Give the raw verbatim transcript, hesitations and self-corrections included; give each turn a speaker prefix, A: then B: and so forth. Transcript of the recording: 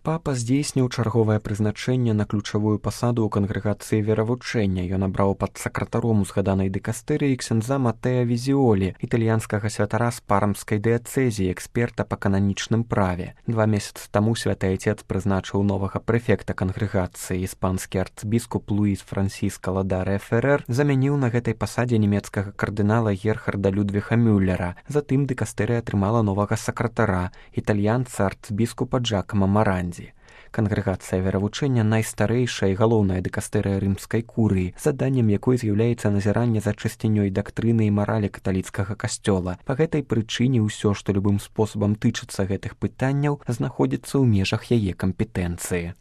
A: Папа здзейсніў чарговае прызначэнне на ключавую пасаду ў кангрэгацыі веравучэння. Ён абраў пад сакратаром узгаданай дыкастэрыі ксяндза Матэа Візіолі, італьянскага святара з пармскай дыяцэзіі, эксперта па кананічным праве. Два месяцы таму святы айцец прызначыў новага прэфекта кангрэгацыі. Іспанскі арцбіскуп Луіс Франсіска Ладаре Ферэр замяніў на гэтай пасадзе нямецкага кардынала Герхарда Людвіха Мюллера. Затым дыкастэрыя атрымала новага сакратара, італьянца арцбіскупа Джакама Маранді. Кангрэгацыя веравучэння найстарэйшая і галоўная дыкастэрыя рымскай курыі, заданнем якой з'яўляецца назіранне за чысцінёй дактрыны і маралі каталіцкага касцёла. Па гэтай прычыне ўсё, што любым спосабам тычыцца гэтых пытанняў, знаходзіцца ў межах яе кампетэнцыі.